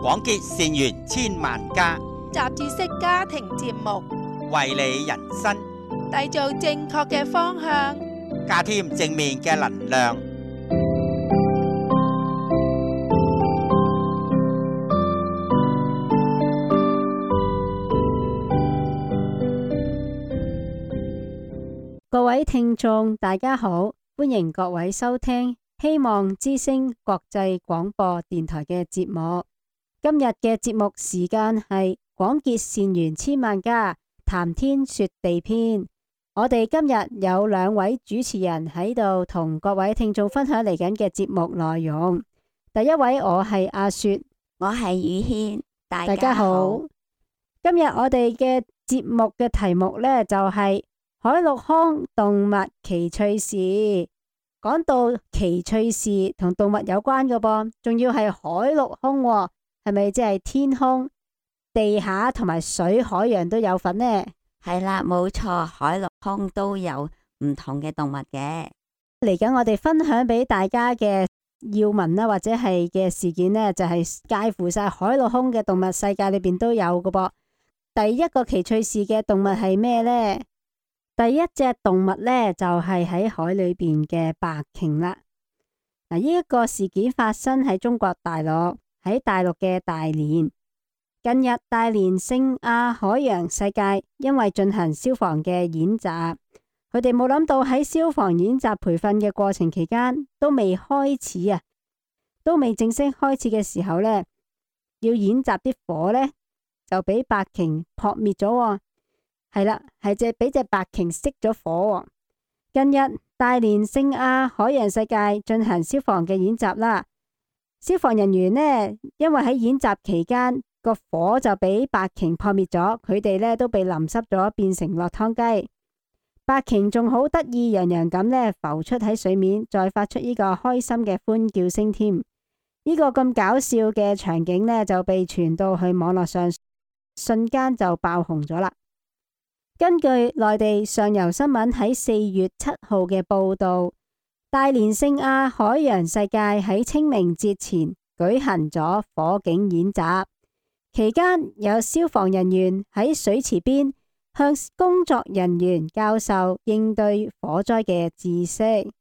廣結善緣千萬家，雜誌式家庭節目，為你人生締造正確嘅方向，加添正面嘅能量。各位聽眾，大家好，歡迎各位收聽希望之聲國際廣播電台嘅節目。今日嘅節目時間係廣結善緣千萬家，談天說地篇。我哋今日有兩位主持人喺度同各位聽眾分享嚟緊嘅節目內容。第一位我係阿雪，我係宇軒，大家好。今日我哋嘅節目嘅題目呢，就係海陸空動物奇趣事。講到奇趣事同動物有關嘅噃，仲要係海陸空喎，係咪即係天空、地下同埋水、海洋都有份呢？係啦，冇錯，海陸空都有唔同嘅動物嘅。嚟緊我哋分享俾大家嘅要聞啦，或者係嘅事件呢，就係介乎晒海陸空嘅動物世界裏邊都有嘅噃。第一個奇趣事嘅動物係咩呢？第一隻動物呢，就係喺海裏邊嘅白鯨啦。嗱，呢一個事件發生喺中國大陸，喺大陸嘅大連。近日大連聖亞海洋世界因為進行消防嘅演習，佢哋冇諗到喺消防演習培訓嘅過程期間都未開始啊，都未正式開始嘅時候呢，要演習啲火呢，就俾白鯨撲滅咗喎。係啦，係俾隻白鯨熄咗火。近日大連聖亞海洋世界進行消防嘅演習啦，消防人員呢，因為喺演習期間個火就俾白鯨撲滅咗，佢哋呢都被淋濕咗，變成落湯雞。白鯨仲好得意洋洋咁呢浮出喺水面，再發出呢個開心嘅歡叫聲添。呢個咁搞笑嘅場景呢，就被傳到去網絡上，瞬間就爆紅咗啦。根據內地上游新聞喺4月7號嘅報道，大連聖亞海洋世界喺清明節前舉行咗火警演習，期間有消防人員喺水池邊向工作人員教授應對火災嘅知識。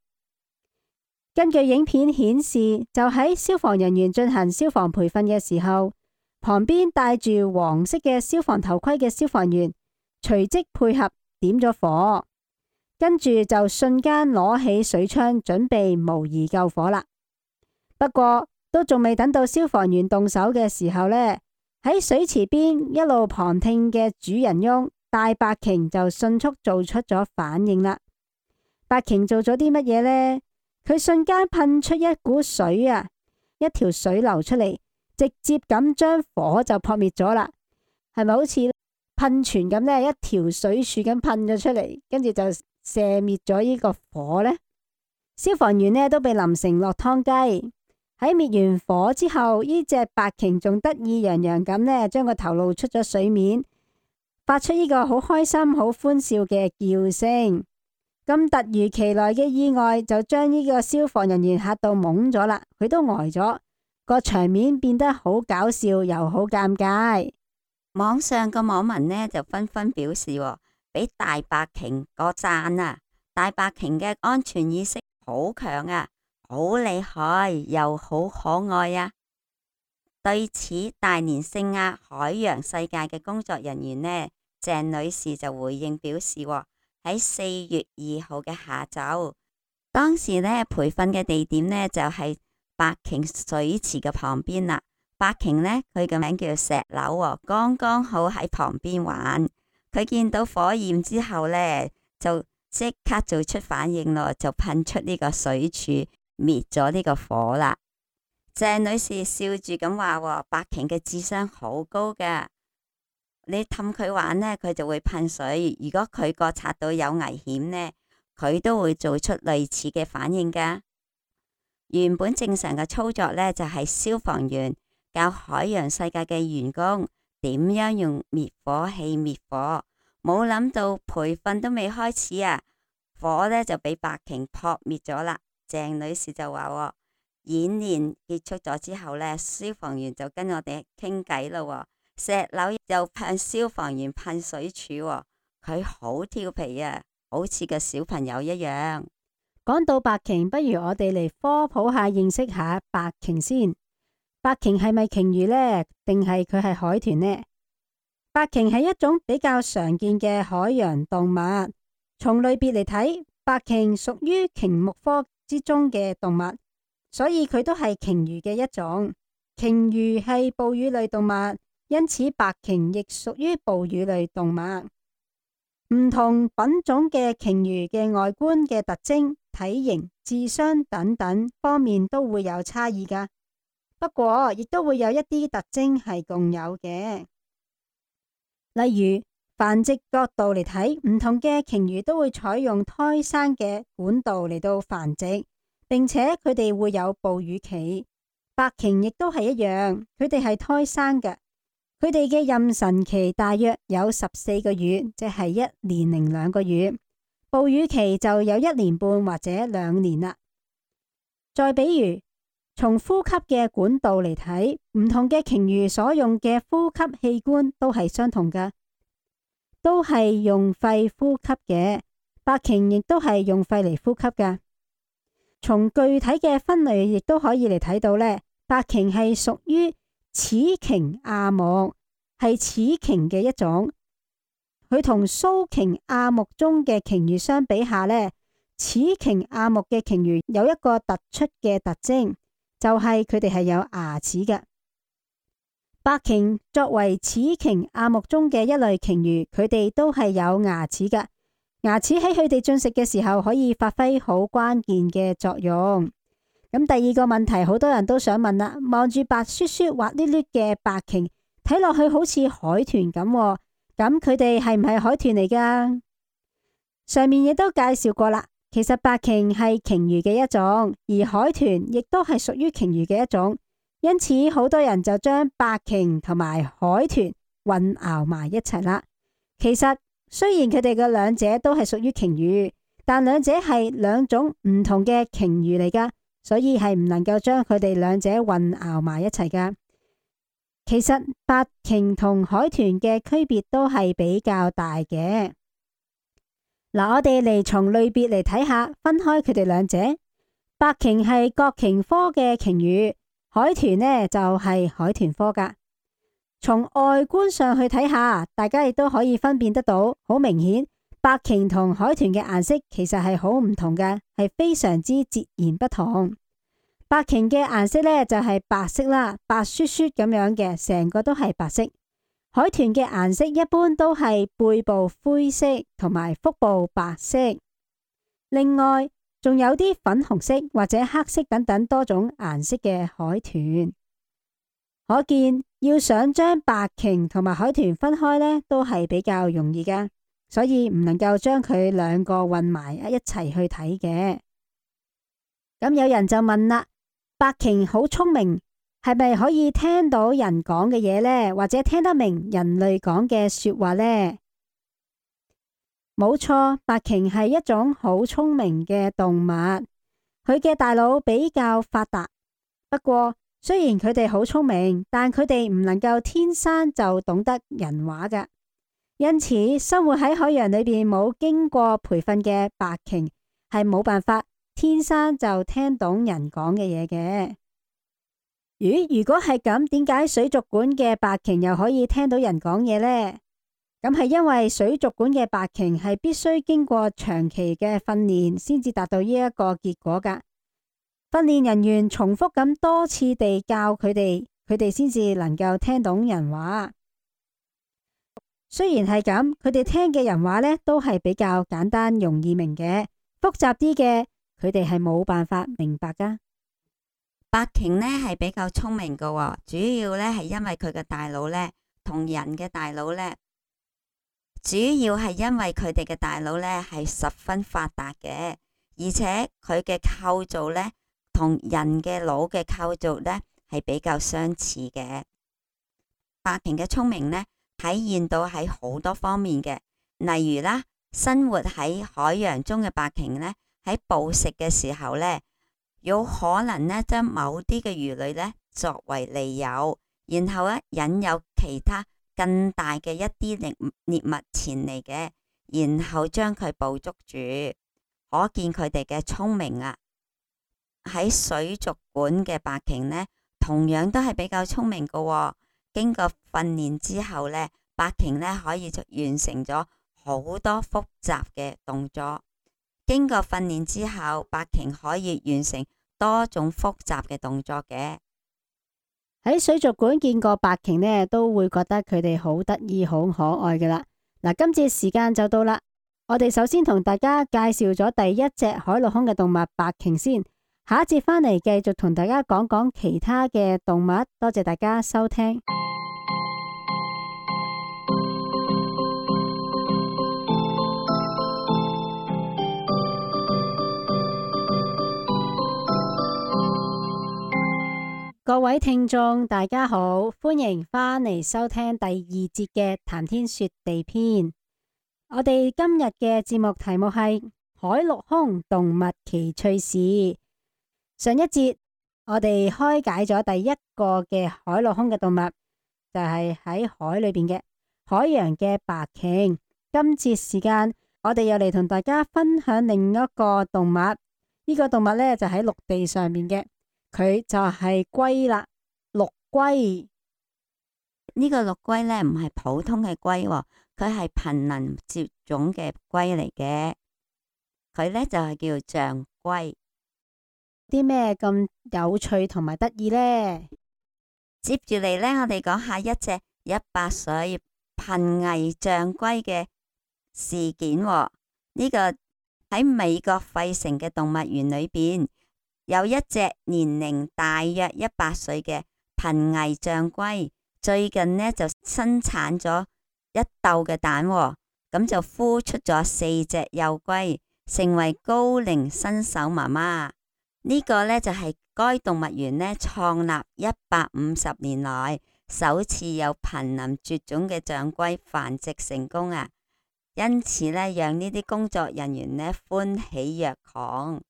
根據影片顯示，就喺消防人員進行消防培訓嘅時候，旁邊戴住黃色嘅消防頭盔嘅消防員隨即配合點咗火，跟住就瞬間攞起水槍準備模擬救火啦。不過都仲未等到消防員動手嘅時候呢，喺水池邊一路旁聽嘅主人翁大白鯨就迅速做出咗反應啦。白鯨做咗啲乜嘢呢？佢瞬間噴出一股水啊，一條水流出嚟，直接咁將火就撲滅咗啦。係咪好似噴泉咁呢？一條水柱咁噴咗出嚟，跟住就射滅咗呢個火呢。消防員呢都被淋成落湯雞。喺滅完火之後，呢隻白鯨仲得意洋洋咁呢，將個頭露出咗水面，發出呢個好開心、好歡笑嘅叫聲。咁突如其來嘅意外就將呢個消防人員嚇到懵咗啦，佢都呆咗，個場面變得好搞笑又好尷尬。網上個網民呢就紛紛表示，俾大白鯨個讚啊！大白鯨嘅安全意識好強啊，好厲害又好可愛啊！對此，大連聖亞海洋世界嘅工作人員呢，鄭女士就回應表示，喺4月2號嘅下晝，當時呢培訓嘅地點呢就係白鯨水池嘅旁邊啦。白鯨呢，佢嘅名叫石榴，剛剛好喺旁邊玩。佢見到火焰之後呢，就即刻做出反應咯，就噴出呢個水柱滅咗呢個火啦。鄭女士笑住咁話，白鯨嘅智商好高噶，你氹佢玩呢，佢就會噴水；如果佢覺察到有危險呢，佢都會做出類似嘅反應噶。原本正常嘅操作呢，就係消防員教海洋世界嘅員工點樣用滅火器滅火，冇諗到培訓都未開始啊，火呢就俾白鯨撲滅咗啦。鄭女士就話，演練結束咗之後呢，消防員就跟我哋傾偈咯。石榴又向消防員噴水柱，佢好調皮啊，好似個小朋友一樣。講到白鯨，不如我哋嚟科普下，認識下白鯨先。白鯨係咪鯨魚呢？定係佢係海豚呢？白鯨係一種比較常見嘅海洋動物。從類別嚟睇，白鯨屬於鯨目科之中嘅動物，所以佢都係鯨魚嘅一種。鯨魚係哺乳類動物，因此白鯨亦屬於哺乳類動物。唔同品種嘅鯨魚嘅外觀嘅特徵、體型、智商等等方面都會有差異㗎。不過亦都會有一啲特徵係共有嘅，例如繁殖角度嚟睇，唔同嘅鯨魚都會採用胎生嘅管道嚟到繁殖，並且佢哋會有哺乳期。白鯨亦都係一樣，佢哋係胎生嘅，佢哋嘅妊娠期大約有14個月，即係1年零2個月，哺乳期就有1年半或者2年啦。再比如，從呼吸嘅管道嚟睇，唔同嘅鯨魚所用嘅呼吸器官都係相同嘅，都係用肺呼吸嘅。白鯨亦都係用肺嚟呼吸㗎。從具體嘅分類亦都可以嚟睇到呢，白鯨係屬於齒鯨亞目，係齒鯨嘅一種。佢同鬚鯨亞目中嘅鯨魚相比下呢，齒鯨亞目嘅鯨魚有一個突出嘅特徵，就係佢哋係有牙齒嘅。白鯨作為齒鯨亞目中嘅一類鯨魚，佢哋都係有牙齒嘅。牙齒喺佢哋進食嘅時候可以發揮好關鍵嘅作用。咁第二個問題，好多人都想問啦，望住白雪雪滑溜溜嘅白鯨，睇落去好似海豚咁，咁佢哋係唔係海豚嚟㗎？上面亦都介紹過啦。其實白鯨係鯨魚嘅一種，而海豚亦都係屬於鯨魚嘅一種，因此好多人就將白鯨同埋海豚混淆埋一齊啦。其實雖然佢哋嘅兩者都係屬於鯨魚，但兩者係兩種唔同嘅鯨魚嚟㗎，所以係唔能夠將佢哋兩者混淆埋一齊㗎。其實白鯨同海豚嘅區別都係比較大嘅。嗱，我哋嚟從類別嚟睇下，分開佢哋兩者。白鯨係角鯨科嘅鯨魚，海豚呢就係海豚科㗎。從外觀上去睇下，大家亦都可以分辨得到，好明顯，白鯨同海豚嘅顏色其實係好唔同嘅，係非常之截然不同。白鯨嘅顏色呢就係白色啦，白雪雪咁樣嘅，成個都係白色。海豚嘅顏色一般都係背部灰色同埋腹部白色，另外仲有啲粉紅色或者黑色等等多種顏色嘅海豚。可見要想將白鯨同埋海豚分開呢，都係比較容易㗎，所以唔能夠將佢兩個混埋一齊去睇嘅。咁有人就問啦，白鯨好聰明，係咪可以聽到人講嘅嘢呢？或者聽得明人類講嘅說話呢？冇錯，白鯨係一種好聰明嘅動物，佢嘅大腦比較發達。不過雖然佢哋好聰明，但佢哋唔能夠天生就懂得人話㗎。因此，生活喺海洋裏邊冇經過培訓嘅白鯨係冇辦法天生就聽懂人講嘅嘢嘅。如果係咁，點解水族館嘅白鯨又可以聽到人講嘢呢？咁係因為水族館嘅白鯨係必須經過長期嘅訓練先至達到呢一個結果㗎。訓練人員重複咁多次地教佢哋，佢哋先至能夠聽懂人話。雖然係咁，佢哋聽嘅人話呢都係比較簡單容易明嘅，複雜啲嘅佢哋係冇辦法明白㗎。白鯨呢係比較聰明㗎喎，主要呢係因為佢嘅大腦呢同人嘅大腦呢，主要係因為佢哋嘅大腦呢係十分發達嘅，而且佢嘅構造呢同人嘅腦嘅構造呢係比較相似嘅。白鯨嘅聰明呢體現到喺好多方面嘅，例如啦，生活喺海洋中嘅白鯨呢喺捕食嘅時候呢，有可能呢將某啲嘅魚類呢作為利誘，然後呢引誘其他更大嘅一啲獵物前嚟嘅，然後將佢捕捉住。可見佢哋嘅聰明啊！喺水族館嘅白鯨呢，同樣都係比較聰明嘅喎。經過訓練之後呢，白鯨呢可以完成咗好多複雜嘅動作。經過訓練之後，白鯨可以完成多種複雜嘅動作嘅。喺水族館見過白鯨呢，都會覺得佢哋好得意、好可愛㗎喇。嗱，今次時間就到啦。我哋首先同大家介紹咗第一隻海陸空嘅動物白鯨先，下一節返嚟繼續同大家講講其他嘅動物。多謝大家收聽。各位聽眾，大家好，歡迎返嚟收聽第二節嘅談天說地篇。我哋今日嘅節目題目係海陸空動物奇趣事。上一節我哋開解咗第一個嘅海陸空嘅動物，就係喺海裏邊嘅海洋嘅白鯨。今節時間我哋又嚟同大家分享另一個動物。呢個動物呢，就喺陸地上面嘅，佢就係龜啦，陸龜。呢個陸龜呢，唔係普通嘅龜喎，佢係瀕臨絕種嘅龜嚟嘅。佢呢就係叫象龜。啲咩咁有趣同埋得意呢？接住嚟呢，我哋講下一隻100歲瀕危象龜嘅事件喎。呢個喺美國費城嘅動物園裏邊，有一隻年齡大約100歲嘅瀕危象龜。最近呢，就生產咗一竇嘅蛋喎，咁就孵出咗4隻幼龜，成為高齡新手媽媽。呢個呢，就係該動物園呢創立150年來首次有瀕臨絕種嘅象龜繁殖成功啊！因此呢，讓呢啲工作人員呢歡喜若狂。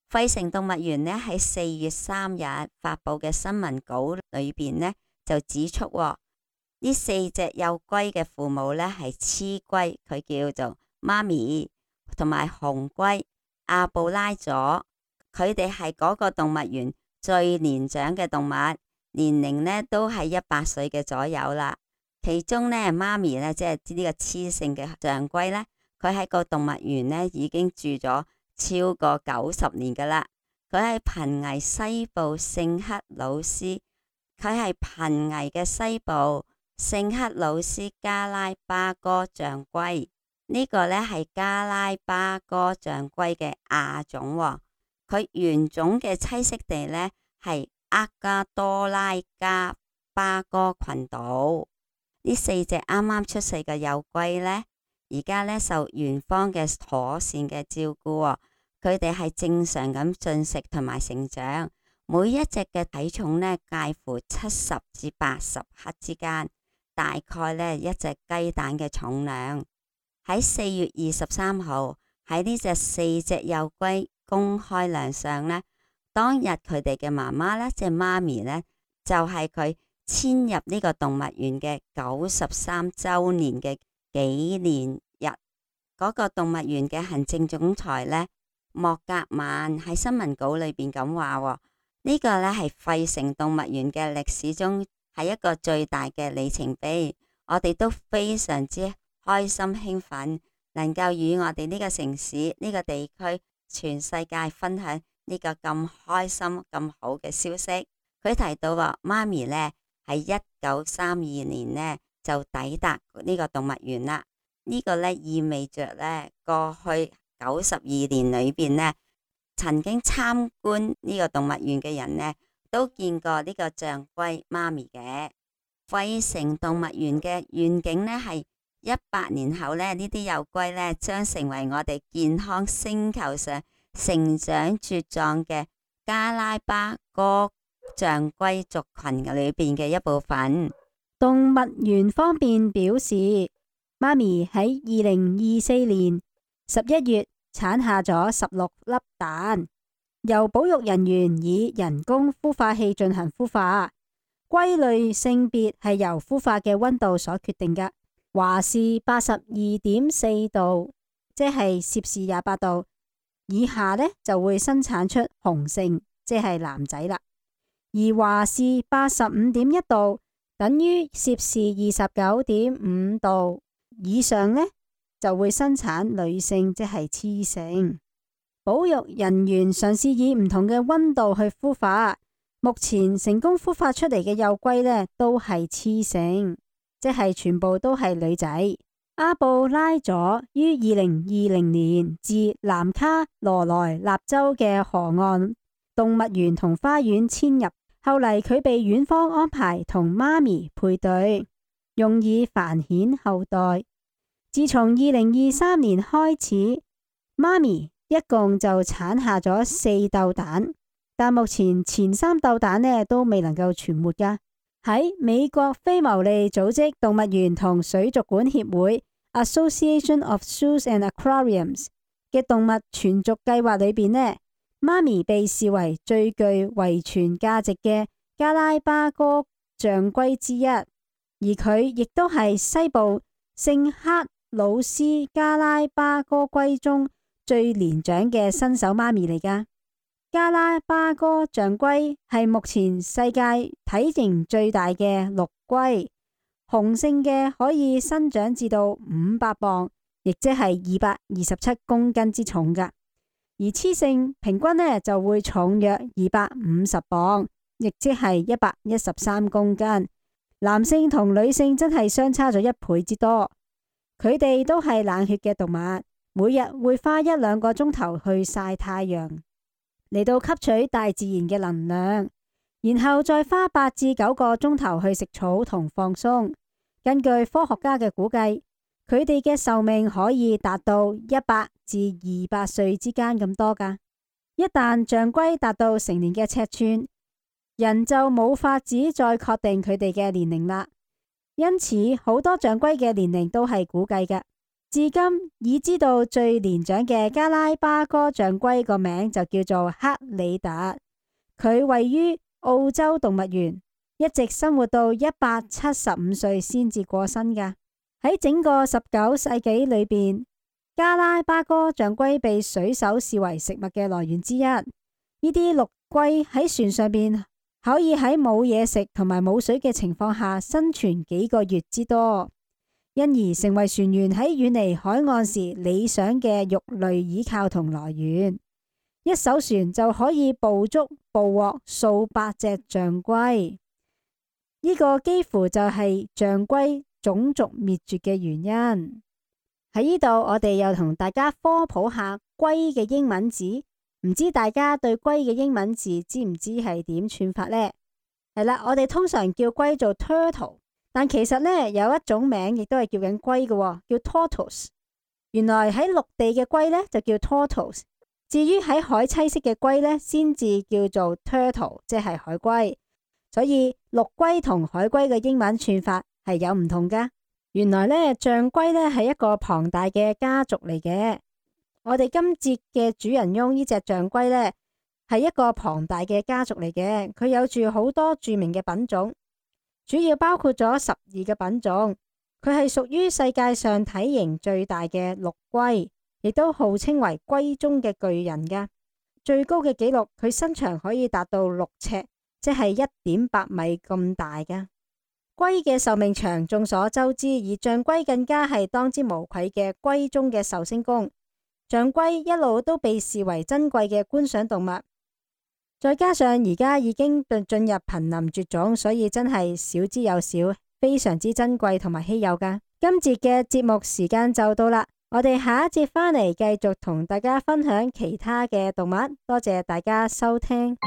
費城動物園呢喺4月3日發佈嘅新聞稿裏邊呢，就指出呢4隻幼龜嘅父母呢係雌龜，佢叫做媽咪，同埋雄龜阿布拉佐。佢哋係嗰個動物園最年長嘅動物，年齡呢都係100歲嘅左右啦。其中呢，媽咪呢，即係呢個雌性嘅象龜呢，佢喺個動物園呢已經住咗超過90年噶啦。佢係瀕危西部聖克魯斯，佢係瀕危嘅西部聖克魯斯加拉巴哥象龜。呢個呢係加拉巴哥象龜嘅亞種喎。佢原種嘅棲息地呢係厄加多拉加巴哥群島。呢4隻啱啱出世嘅幼龜呢，而家呢受園方嘅妥善嘅照顧，佢哋係正常咁進食同埋成長。每一隻嘅體重呢介乎70至80克之間，大概呢一隻雞蛋嘅重量。喺4月23號，喺呢隻4隻幼龜公開亮相呢，當日佢哋嘅媽媽呢，即係媽咪呢，就係佢遷入呢個動物園嘅93週年嘅紀念日。嗰個動物園嘅行政總裁呢，莫格曼喺新聞稿裏邊咁話，呢個呢係費城動物園嘅歷史中係一個最大嘅里程碑。我哋都非常之開心興奮，能夠與我哋呢個城市、呢個地區、全世界分享呢個咁開心咁好嘅消息。佢提到話，媽咪呢喺1932年呢就抵達呢個動物園啦。呢個呢意味着呢過去92年裏邊呢，曾經參觀呢個動物園嘅人呢都見過呢個象龜媽咪嘅。費城動物園嘅願景呢係100年後呢，呢啲幼龜呢將成為我哋健康星球上成長茁壯嘅加拉巴哥象龜族群裏邊嘅一部分。動物園方面表示，媽咪喺2024年11月產下咗16粒蛋，由保育人員以人工孵化器進行孵化。龜類性別係由孵化嘅溫度所決定㗎，華氏82.4度，即係攝氏28度以下呢，就會生產出雄性，即係男仔啦。而華氏85.1度，等於攝氏29.5度以上呢，就會生產女性，即係雌性。保育人員嘗試以唔同嘅溫度去孵化，目前成功孵化出嚟嘅幼龜呢，都係雌性，即係全部都係女仔。阿布拉佐於2020年自南卡羅來納州嘅河岸動物園同花園遷入，後嚟佢被院方安排同媽咪配對，用以繁衍後代。自從2023年開始，媽咪一共就產下咗4竇蛋，但目前前3竇蛋呢都未能夠存活㗎。喺美國非牟利組織動物園同水族館協會 Association of Zoos and Aquariums 嘅動物存續計劃裏邊呢，媽咪被視為最具遺傳價值嘅加拉巴哥象龜之一，而佢亦都係西部聖克魯斯加拉巴哥龜中最年長嘅新手媽咪嚟㗎。加拉巴哥象龜係目前世界體型最大嘅陸龜，雄性嘅可以生長至到500磅，亦即係227公斤之重㗎。而雌性平均呢就會重約250磅，亦即係113公斤。男性同女性真係相差咗1倍之多。佢哋都係冷血嘅動物，每日會花1-2個鐘頭去曬太陽，嚟到吸取大自然嘅能量，然後再花8至9個鐘頭去食草同放鬆。根據科學家嘅估計，佢哋嘅壽命可以達到100至200歲之間咁多㗎。一旦象龜達到成年嘅尺寸，人就冇法子再確定佢哋嘅年齡啦。因此，好多象龜嘅年齡都係估計嘅。至今已知道最年長嘅加拉巴哥象龜個名就叫做克里特，佢位於澳洲動物園，一直生活到175歲先至過身㗎。喺整個19世紀裏邊，加拉巴哥象龜被水手視為食物嘅來源之一。呢啲陸龜喺船上邊可以喺冇嘢食同埋冇水嘅情況下生存幾個月之多，因而成為船員喺遠離海岸時理想嘅肉類倚靠同來源。一艘船就可以捕獲數百隻象龜，呢個幾乎就係象龜種族滅絕嘅原因。喺呢度我哋又同大家科普下龜嘅英文字。唔知大家對龜嘅英文字知唔知係點串法呢？係啦，我哋通常叫龜做 turtle， 但其實呢，有一種名亦都係叫緊龜嘅，叫 tortoise。原來喺陸地嘅龜呢，就叫 tortoise， 至於喺海棲息嘅龜呢，先至叫做 turtle， 即係海龜。所以陸龜同海龜嘅英文串法係有唔同噶。原來呢，象龜呢係一個龐大嘅家族嚟嘅。我哋今節嘅主人翁呢隻象龜呢，係一個龐大嘅家族嚟嘅，佢有住好多著名嘅品種，主要包括咗12個品種。佢係屬於世界上體型最大嘅陸龜，亦都號稱為龜中嘅巨人噶。最高嘅紀錄，佢身長可以達到6尺，即係1.8米咁大噶。龜嘅壽命長，眾所周知，而象龜更加係當之無愧嘅龜中嘅壽星公。象龜一路都被視為珍貴嘅觀賞動物，再加上而家已經進入瀕臨絕種，所以真係少之又少，非常之珍貴同埋稀有噶。今節嘅節目時間就到啦，我哋下一節返嚟繼續同大家分享其他嘅動物。多謝大家收聽。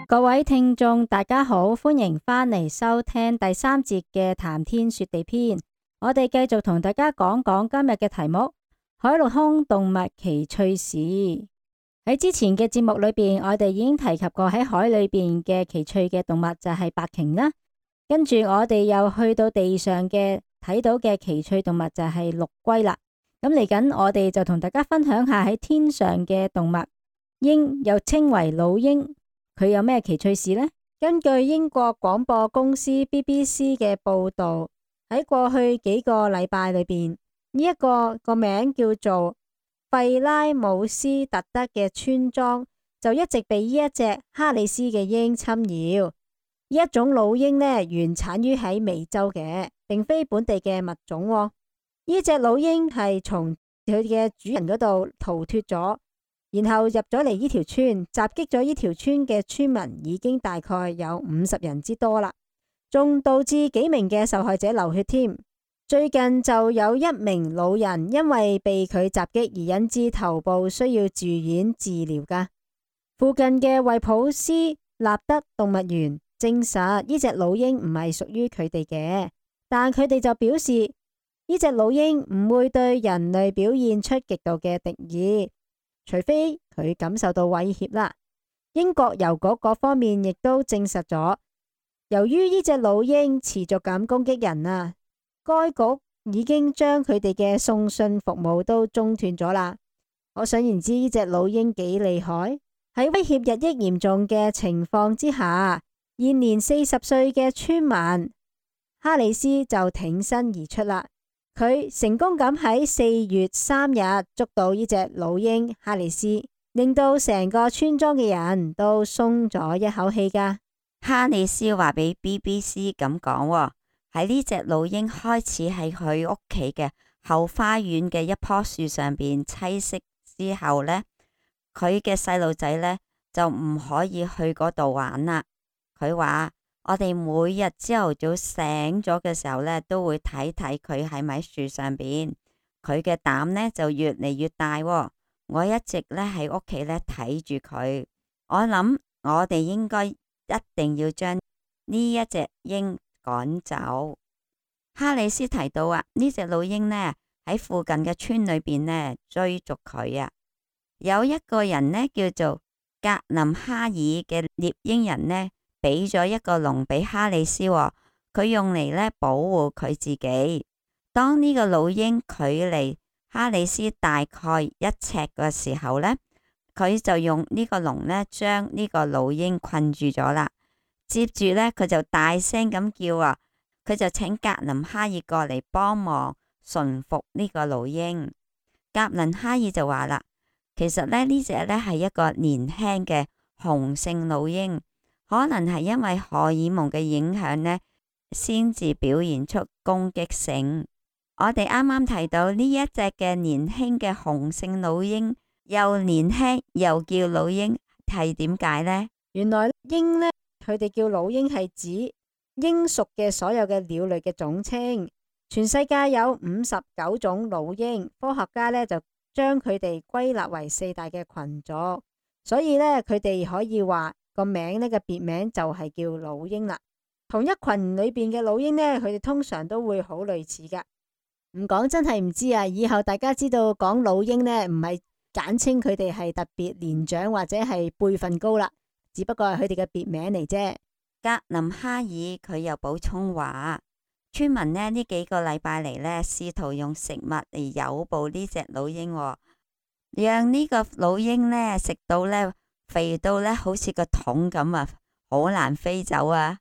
各位聽眾大家好，歡迎返嚟收聽第3節嘅談天說地篇。我哋繼續同大家講講今日嘅題目：海陸空動物奇趣事。喺之前嘅節目裏邊，我哋已經提及過喺海裏邊嘅奇趣嘅動物就係白鯨啦。跟住我哋又去到地上嘅睇到嘅奇趣動物就係陸龜啦。咁嚟緊我哋就同大家分享下喺天上嘅動物鷹，又稱為老鷹，佢有咩奇趣事呢？根據英國廣播公司 BBC 嘅報道，喺過去幾個禮拜裏邊，呢一個名叫做費拉姆斯特德嘅村莊就一直被呢一隻哈里斯嘅鷹侵擾。呢一種老鷹呢，原產於喺美洲嘅，並非本地嘅物種喎。呢隻老鷹係從佢嘅主人嗰度逃脫咗，然後入咗嚟呢條村，襲擊咗呢條村嘅村民，已經大概有50人之多啦，仲導致幾名嘅受害者流血添。最近就有一名老人因為被佢襲擊而引致頭部需要住院治療噶。附近嘅惠普斯納德動物園證實呢隻老鷹唔係屬於佢哋嘅，但佢哋就表示呢隻老鷹唔會對人類表現出極度嘅敵意，除非佢感受到威脅啦。英國郵局嗰方面亦都證實咗，由於呢隻老鷹持續咁攻擊人啊，該局已經將佢哋嘅送信服務都中斷咗啦。可想而知呢隻老鷹幾厲害。喺威脅日益嚴重嘅情況之下，現年40歲嘅村民哈里斯就挺身而出啦。佢成功咁喺4月3日捉到呢隻老鷹哈里斯，令到成個村莊嘅人都鬆咗一口氣噶。哈里斯話俾 BBC 咁講，喺呢隻老鷹開始喺佢屋企嘅後花園嘅一棵樹上邊棲息之後呢，佢嘅細路仔呢就唔可以去嗰度玩啦。佢話我哋每日朝頭早醒咗嘅時候呢，都會睇睇佢喺咪樹上邊，佢嘅膽呢就越嚟越大。我一直呢喺屋企呢睇住佢，我諗我哋應該一定要將呢一隻鷹趕走。哈里斯提到呢隻老鷹呢喺附近嘅村裏邊呢追逐佢啊。有一個人呢叫做格林哈爾嘅獵鷹人呢，俾咗一個籠俾哈里斯，佢用嚟呢保護佢自己。當呢個老鷹距離哈里斯大概1尺嘅時候呢，佢就用呢個籠呢將呢個老鷹困住咗啦。接住呢，佢就大聲咁叫佢就請格林哈爾過嚟幫忙馴服呢個老鷹。格林哈爾就話啦，其實呢隻呢係一個年輕嘅雄性老鷹，可能係因為荷爾蒙嘅影響呢，先至表現出攻擊性。我哋啱啱提到呢一隻嘅年輕嘅雄性老鷹，又年輕又叫老鷹，係點解呢？原來鷹呢，佢哋叫老鷹係指鷹屬嘅所有嘅鳥類嘅總稱。全世界有59種老鷹，科學家呢就將佢哋歸納為4大嘅群族，所以呢，佢哋可以話個名呢個別名就係叫老鷹啦。同一群裏邊嘅老鷹呢，佢哋通常都會好類似噶。唔講真係唔知啊！以後大家知道講老鷹呢，唔係簡稱佢哋係特別年長或者係輩分高啦，只不過係佢哋嘅別名嚟啫。格林哈爾佢又補充話，村民呢幾個禮拜嚟呢，試圖用食物嚟誘捕呢隻老鷹，讓呢個老鷹呢食到呢肥到呢好似個桶咁啊，好難飛走啊！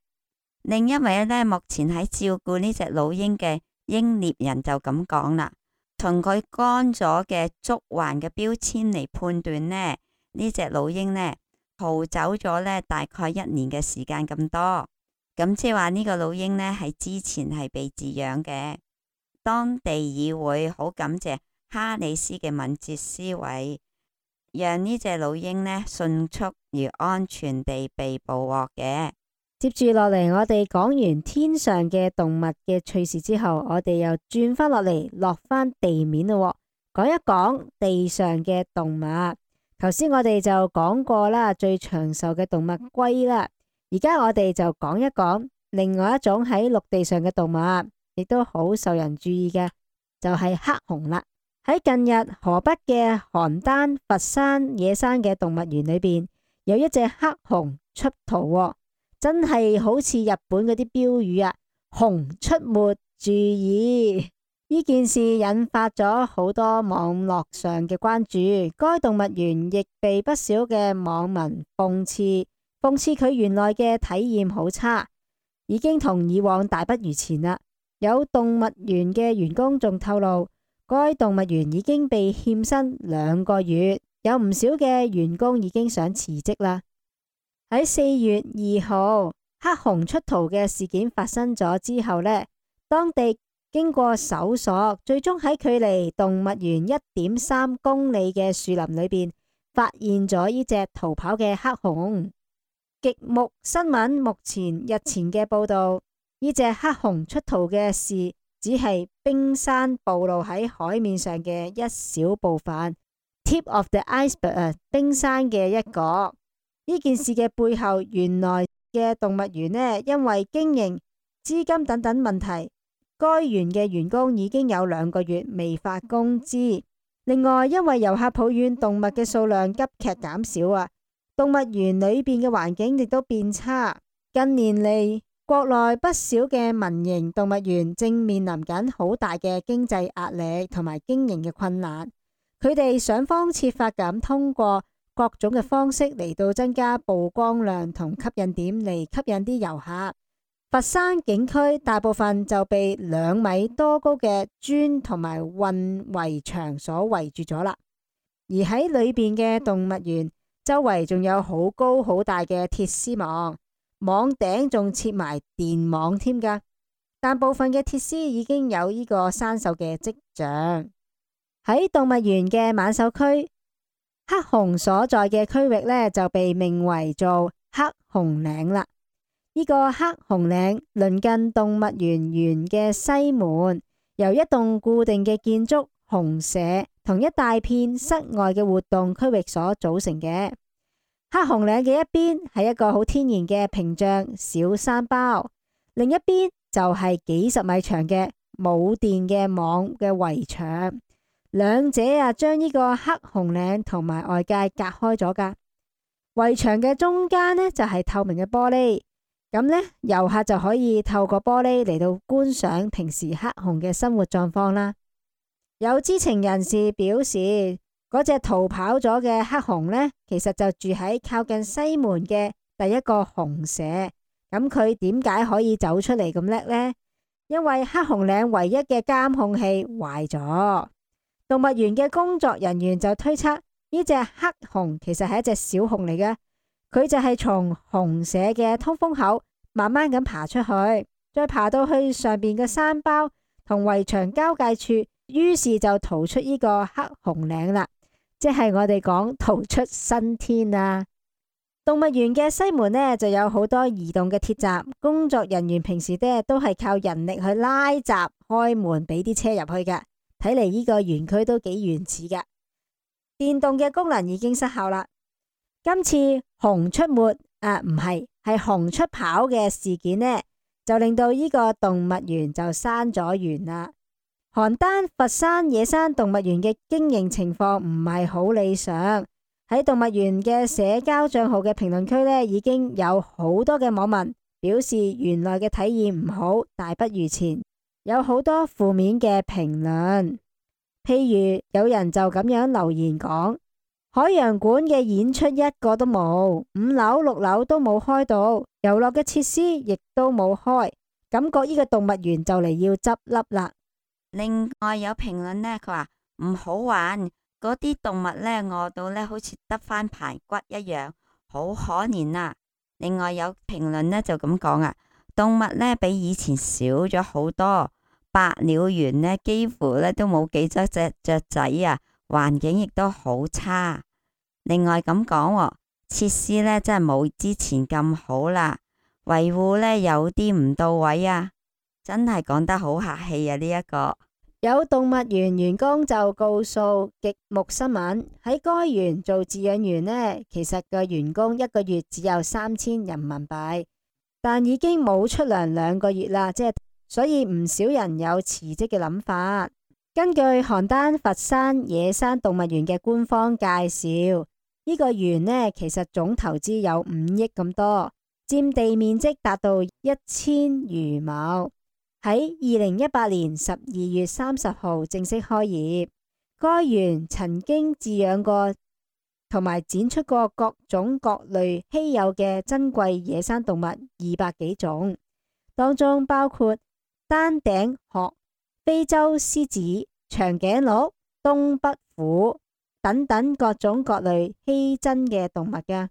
另一位呢，目前喺照顧呢隻老鷹嘅鷹獵人就咁講啦，從佢乾咗嘅足環嘅標籤嚟判斷呢隻老鷹呢逃走咗呢大概1年嘅時間咁多，咁即係話呢個老鷹呢係之前係被飼養嘅。當地議會好感謝哈里斯嘅敏捷思維，讓呢隻老鷹呢迅速而安全地被捕獲嘅。接住落嚟，我哋講完天上嘅動物嘅趣事之後，我哋又轉返落嚟，落返地面咯，講一講地上嘅動物。頭先我哋就講過啦，最長壽嘅動物龜啦。而家我哋就講一講另外一種喺陸地上嘅動物，亦都好受人注意嘅，就係黑熊啦。喺近日河北嘅邯鄲、佛山、野山嘅動物園裏邊，有一隻黑熊出逃喎，真係好似日本嗰啲標語啊，熊出沒注意。呢件事引發咗好多網絡上嘅關注，該動物園亦被不少嘅網民諷刺佢原來嘅體驗好差，已經同以往大不如前啦。有動物園嘅員工仲透露，該動物園已經被欠薪2個月，有唔少嘅員工已經想辭職啦。喺4月2號，黑熊出逃嘅事件發生咗之後呢，當地經過搜索，最終喺距離動物園1.3公里嘅樹林裏邊發現咗呢隻逃跑嘅黑熊。極目新聞日前嘅報道，呢隻黑熊出逃嘅事只係冰山暴露喺海面上嘅一小部分 ，tip of the iceberg， 冰山嘅一角。呢件事嘅背後，原來嘅動物園呢，因為經營、資金等等問題，該園嘅員工已經有2個月未發工資。另外，因為遊客抱怨動物嘅數量急劇減少啊，動物園裏邊嘅環境亦都變差。近年嚟，國內不少嘅民營動物園正面臨緊好大嘅經濟壓力同埋經營嘅困難。佢哋想方設法咁通過各種嘅方式嚟到增加曝光量同吸引點嚟吸引啲遊客。佛山景區大部分就被2米多高嘅磚同埋混圍牆所圍住咗啦，而喺裏邊嘅動物園周圍仲有好高好大嘅鐵絲網，網頂仲設埋電網添㗎，但部分嘅鐵絲已經有呢個生鏽嘅跡象。喺動物園嘅猛獸區，黑熊所在嘅區域呢，就被命為做黑熊嶺啦。呢個黑熊嶺鄰近動物園嘅西門，由一棟固定嘅建築熊舍同一大片室外嘅活動區域所組成嘅。黑熊嶺嘅一邊係一個好天然嘅屏障小山包，另一邊就係幾十米長嘅冇電嘅網嘅圍牆，兩者將呢個黑熊嶺同埋外界隔開咗噶。圍牆嘅中間呢，就係透明嘅玻璃。咁呢，遊客就可以透過玻璃嚟到觀賞平時黑熊嘅生活狀況啦。有知情人士表示，嗰隻逃跑咗嘅黑熊呢，其實就住喺靠近西門嘅第一個熊舍。咁佢點解可以走出嚟咁叻呢？因為黑熊嶺唯一嘅監控器壞咗。動物園嘅工作人員就推測，呢隻黑熊其實係一隻小熊嚟嘅。佢就係從熊舍嘅通風口慢慢咁爬出去，再爬到去上邊嘅山包同圍牆交界處，於是就逃出呢個黑熊嶺啦，即係我哋講逃出生天啊！動物園嘅西門呢，就有好多移動嘅鐵閘，工作人員平時呢都係靠人力去拉閘開門俾啲車入去嘅。睇嚟呢個園區都幾原始嘅，電動嘅功能已經失效啦。今次熊出沒係熊出跑嘅事件呢，就令到呢個動物園就閂咗園啦。邯鄲、佛山、野山動物園嘅經營情況唔係好理想。喺動物園嘅社交賬號嘅評論區呢，已經有好多嘅網民表示園內嘅體驗唔好，大不如前，有好多負面嘅評論。譬如有人就咁樣留言講，海洋館嘅演出一個都冇，5樓、6樓都冇開到，遊樂嘅設施亦都冇開，感覺呢個動物園就嚟要執笠啦。另外有評論呢，佢話唔好玩，嗰啲動物呢餓到呢好似得返排骨一樣，好可憐啊。另外有評論呢就咁講啊，動物呢比以前少咗好多，百鳥園呢幾乎呢都冇幾多隻雀仔啊。環境亦都好差，另外咁講，設施呢真係冇之前咁好啦，維護呢有啲唔到位啊，真係講得好客氣啊！呢一個有動物園員工就告訴極目新聞，喺該園做飼養員呢，其實個員工1個月只有3000人民幣，但已經冇出糧2個月啦，所以唔少人有辭職嘅諗法。今根據邯鄲佛山野生動物園嘅官方介紹，呢個園呢其實總投資有5億咁多，佔地面積達到1000餘畝。喺2018年12月30號正式開業。該園曾經飼養過同埋展出過各種各類稀有嘅珍貴野生動物200幾種，當中包括丹頂鶴、非洲獅子、長頸鹿、東北虎等等各種各類稀珍嘅動物㗎。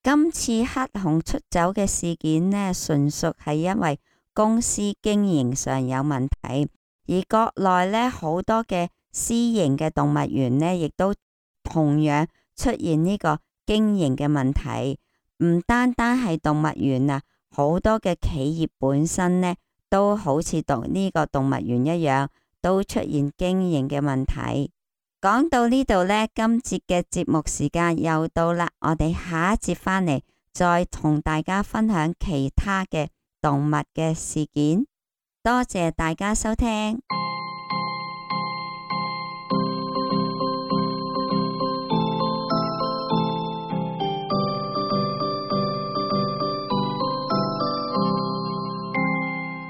今次黑熊出走嘅事件呢，純屬係因為公司經營上有問題，而國內呢好多嘅私營嘅動物園呢，亦都同樣出現呢個經營嘅問題。唔單單係動物園啊，好多嘅企業本身呢，都好似呢個動物園一樣，都出現經營嘅問題。講到呢度呢，今節嘅節目時間又到啦，我哋下一節返嚟再同大家分享其他嘅動物嘅事件。多謝大家收聽。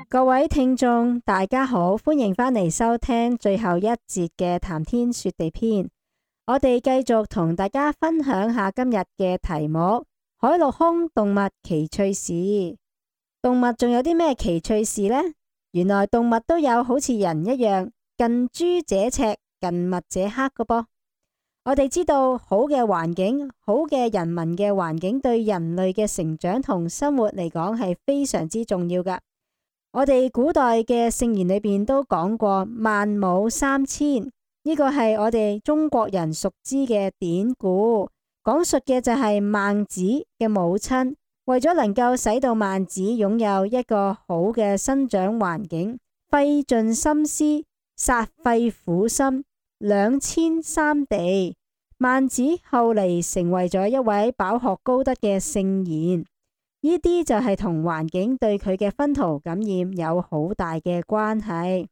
各位聽眾大家好，歡迎返嚟收聽最後一節嘅談天說地篇。我哋繼續同大家分享下今日嘅題目：海陸空動物奇趣事。動物仲有啲咩奇趣事呢？原來動物都有好似人一樣近朱者赤，近墨者黑嘅噃。我哋知道好嘅環境，好嘅人民嘅環境對人類嘅成長同生活嚟講係非常之重要噶。我哋古代嘅聖言裏邊都講過孟母三遷，呢個係我哋中國人熟知嘅典故，講述嘅就係孟子嘅母親為咗能夠使到孟子擁有一個好嘅生長環境，費盡心思，煞費苦心，兩遷三地。孟子後嚟成為咗一位飽學高德嘅聖賢。呢啲就係同環境對佢嘅熏陶感染有好大嘅關係。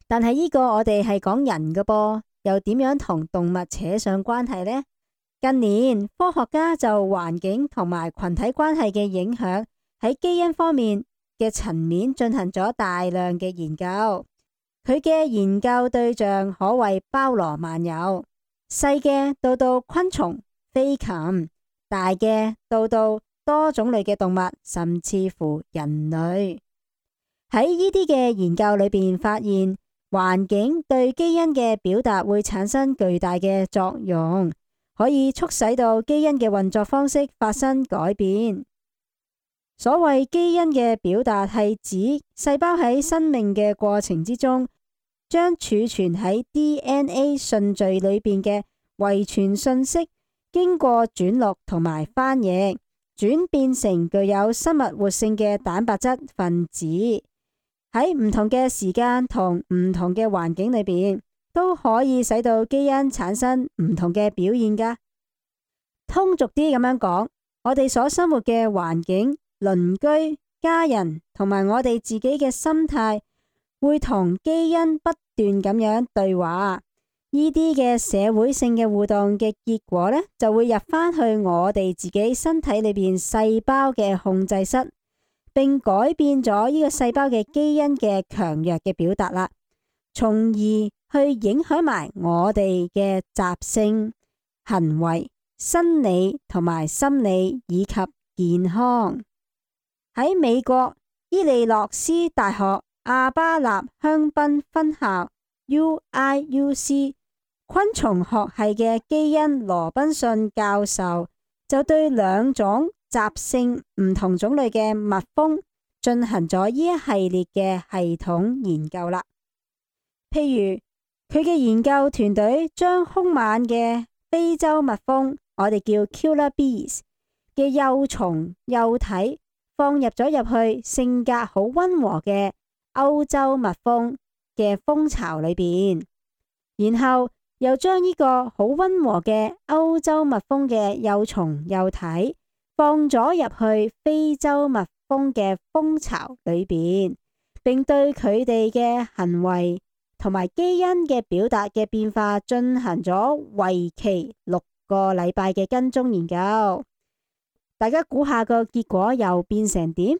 但係呢個我哋係講人嘅噃，又點樣同動物扯上關係呢？近年科學家就環境同埋群體關係嘅影響喺基因方面嘅層面進行咗大量嘅研究。佢嘅研究對象可謂包羅萬有，細嘅到昆蟲、飛禽，大嘅到多種類嘅動物，甚至乎人類。喺呢啲嘅研究裏邊發現，環境對基因嘅表達會產生巨大嘅作用，可以促使到基因嘅運作方式發生改變。所謂基因嘅表達係指細胞喺生命嘅過程之中，將儲存喺 DNA 順序裏邊嘅遺傳信息經過轉錄同埋翻譯，轉變成具有生物活性嘅蛋白質分子，喺唔同嘅時間同唔同嘅環境裏邊，都可以使到基因產生唔同嘅表現噶。通俗啲咁樣講，我哋所生活嘅環境、鄰居、家人同埋我哋自己嘅心態，會同基因不斷咁樣對話。呢啲嘅社會性嘅互動嘅結果呢，就會入返去我哋自己身體裏邊細胞嘅控制室，並改變咗呢個細胞嘅基因嘅強弱嘅表達啦，從而去影響埋我哋嘅習性、行為、生理同埋心理以及健康。喺美國伊利諾斯大學阿巴納香檳分校 UIUC 昆蟲學系嘅基因羅賓遜教授就對2種習性唔同種類嘅蜜蜂進行咗呢一系列嘅系統研究啦。譬如佢嘅研究團隊將兇猛嘅非洲蜜蜂，我哋叫 killer bees 嘅幼蟲幼體放入咗入去性格好溫和嘅歐洲蜜蜂嘅蜂巢裏邊，然後又將呢個好溫和嘅歐洲蜜蜂嘅幼蟲幼體放咗入去非洲蜜蜂嘅蜂巢裏邊，並對佢哋嘅行為同埋基因嘅表達嘅變化進行咗為期6個禮拜嘅跟蹤研究。大家估下個結果又變成點？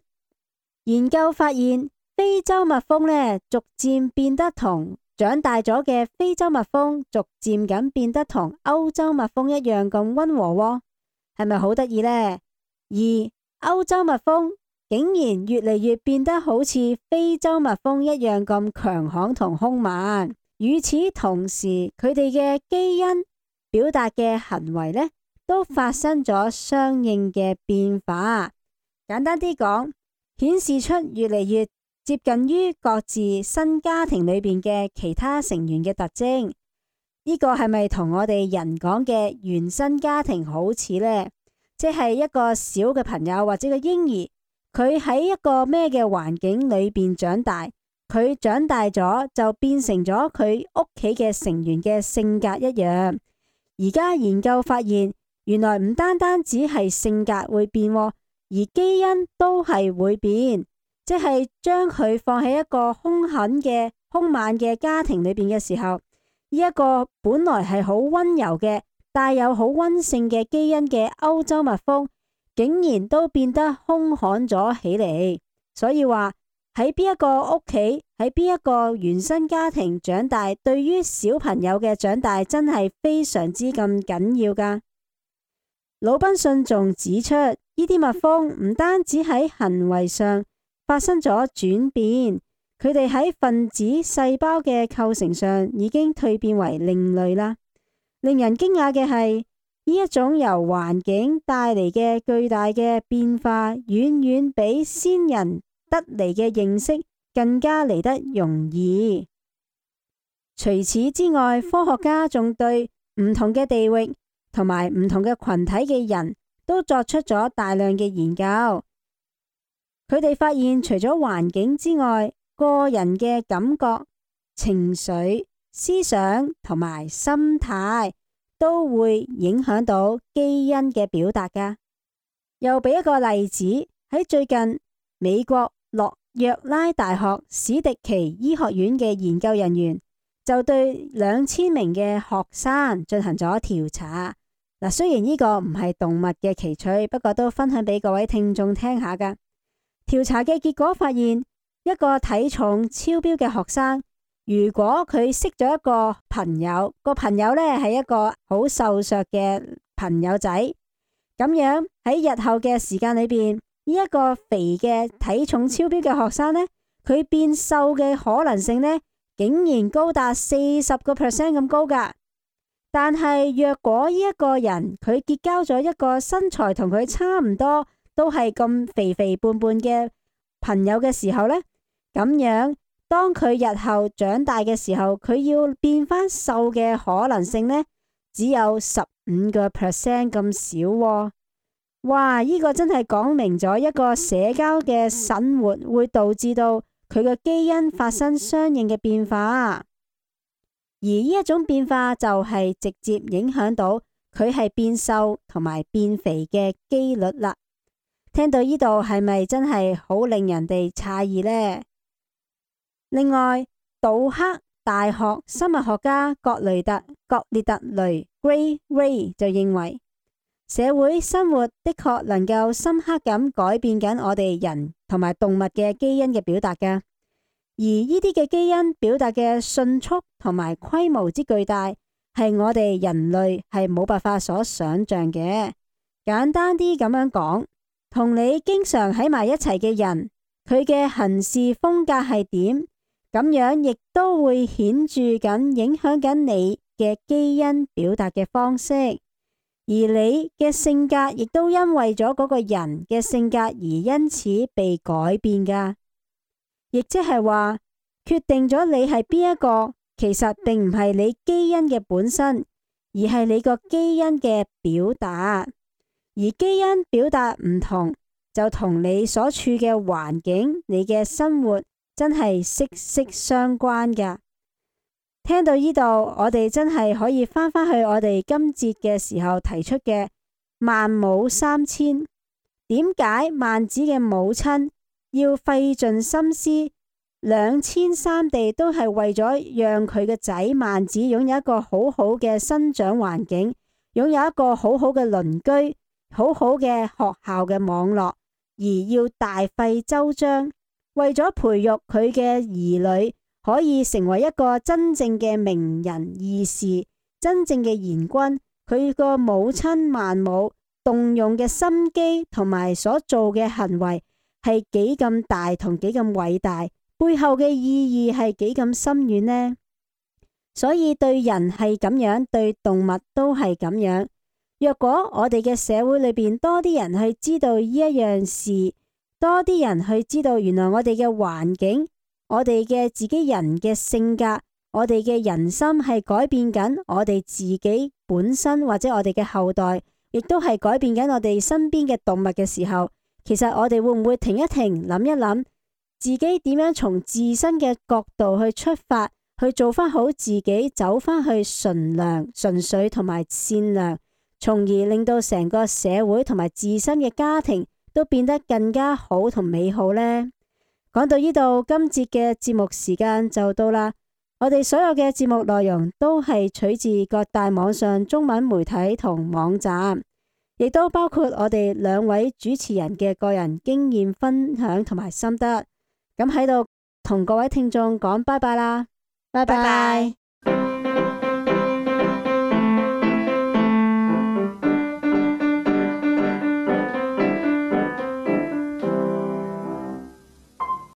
研究發現非洲蜜蜂呢，逐漸變得同長大咗嘅非洲蜜蜂逐漸咁變得同歐洲蜜蜂一樣咁溫和喎，係咪好得意呢？而歐洲蜜蜂竟然越嚟越變得好似非洲蜜蜂一樣咁強悍同兇猛。與此同時，佢哋嘅基因表達嘅行為呢，都發生咗相應嘅變化。簡單啲講，顯示出越嚟越接近於各自新家庭裏邊嘅其他成員嘅特徵。呢個係咪同我哋人講嘅原生家庭好似呢？即係一個小嘅朋友或者個嬰兒，佢喺一個咩嘅環境裏邊長大，佢長大咗就變成咗佢屋企嘅成員嘅性格一樣。而家研究發現，原來唔單單只係性格會變，而基因都係會變。即係將佢放喺一個兇狠嘅兇猛嘅家庭裏邊嘅時候，呢一個本來係好溫柔嘅帶有好溫性嘅基因嘅歐洲蜜蜂，竟然都變得兇悍咗起嚟。所以話喺邊一個屋企，喺邊一個原生家庭長大，對於小朋友嘅長大真係非常之咁緊要噶。魯賓遜仲指出，呢啲蜜蜂唔單止喺行為上發生咗轉變，佢哋喺分子細胞嘅構成上已經蛻變為另類啦。令人驚訝嘅係，呢一種由環境帶嚟嘅巨大嘅變化，遠遠比先人得嚟嘅認識更加嚟得容易。除此之外，科學家仲對唔同嘅地域同埋唔同嘅群體嘅人都作出咗大量嘅研究。佢哋發現，除咗環境之外，個人嘅感覺、情緒、思想同埋心態都會影響到基因嘅表達㗎。又俾一個例子，喺最近美國諾約拉大學史迪奇醫學院嘅研究人員就對2000名嘅學生進行咗調查。嗱，雖然呢個唔係動物嘅奇趣，不過都分享俾各位聽眾聽下㗎。調查嘅結果發現，一個體重超標嘅學生，如果佢識咗一個朋友，個朋友呢係一個好瘦削嘅朋友仔，咁樣喺日後嘅時間裏邊，呢一個肥嘅體重超標嘅學生呢，佢變瘦嘅可能性呢，竟然高達40%咁高㗎。但係若果呢一個人佢結交咗一個身材同佢差唔多，都係咁肥肥胖胖嘅朋友嘅時候呢，咁樣當佢日後長大嘅時候，佢要變返瘦嘅可能性呢，只有15% 咁少喎。哇！呢個真係講明咗一個社交嘅生活會導致到佢嘅基因發生相應嘅變化，而呢一種變化就係直接影響到佢係變瘦同埋變肥嘅機率啦。聽到呢度係咪真係好令人哋詫異呢？另外，杜克大學生物學家格列特雷 Gray Ray 就認為，社會生活的確能夠深刻咁改變緊我哋人同埋動物嘅基因嘅表達㗎，而呢啲嘅基因表達嘅迅速同埋規模之巨大，係我哋人類係冇辦法所想象嘅。簡單啲咁樣講，同你經常喺埋一齊嘅人，佢嘅行事風格係點，咁樣亦都會顯著咁影響緊你嘅基因表達嘅方式，而你嘅性格亦都因為咗嗰個人嘅性格而因此被改變㗎。亦即係話，決定咗你係邊一個，其實並唔係你基因嘅本身，而係你個基因嘅表達。而基因表達唔同，就同你所處嘅環境、你嘅生活真係息息相關㗎。聽到呢度，我哋真係可以返返去我哋今節嘅時候提出嘅孟母三遷。點解孟子嘅母親要費盡心思兩遷三地都係為咗讓佢嘅仔萬子擁有一個好好嘅生長環境，擁有一個好好嘅鄰居，好好嘅學校嘅網絡，而要大費周章，為咗培育佢嘅兒女可以成為一個真正嘅名人義士，真正嘅賢君。佢個母親萬母動用嘅心機同埋所做嘅行為係幾咁大同幾咁偉大，背後嘅意義係幾咁深遠呢？所以對人係咁樣，對動物都係咁樣。若果我哋嘅社會裏邊多啲人去知道呢一樣事，多啲人去知道原來我哋嘅環境，我哋嘅自己人嘅性格，我哋嘅人心係改變緊我哋自己本身，或者我哋嘅後代，亦都係改變緊我哋身邊嘅動物嘅時候，其實我哋會唔會停一停，諗一諗自己點樣從自身嘅角度去出發，去做翻好自己，走翻去純良、純粹同埋善良，從而令到成個社會同埋自身嘅家庭都變得更加好同美好呢？講到呢度，今節嘅節目時間就到啦。我哋所有嘅節目內容都係取自各大網上中文媒體同網站，亦都包括我哋兩位主持人嘅個人經驗分享同埋心得。咁喺度同各位聽眾講拜拜啦，拜拜。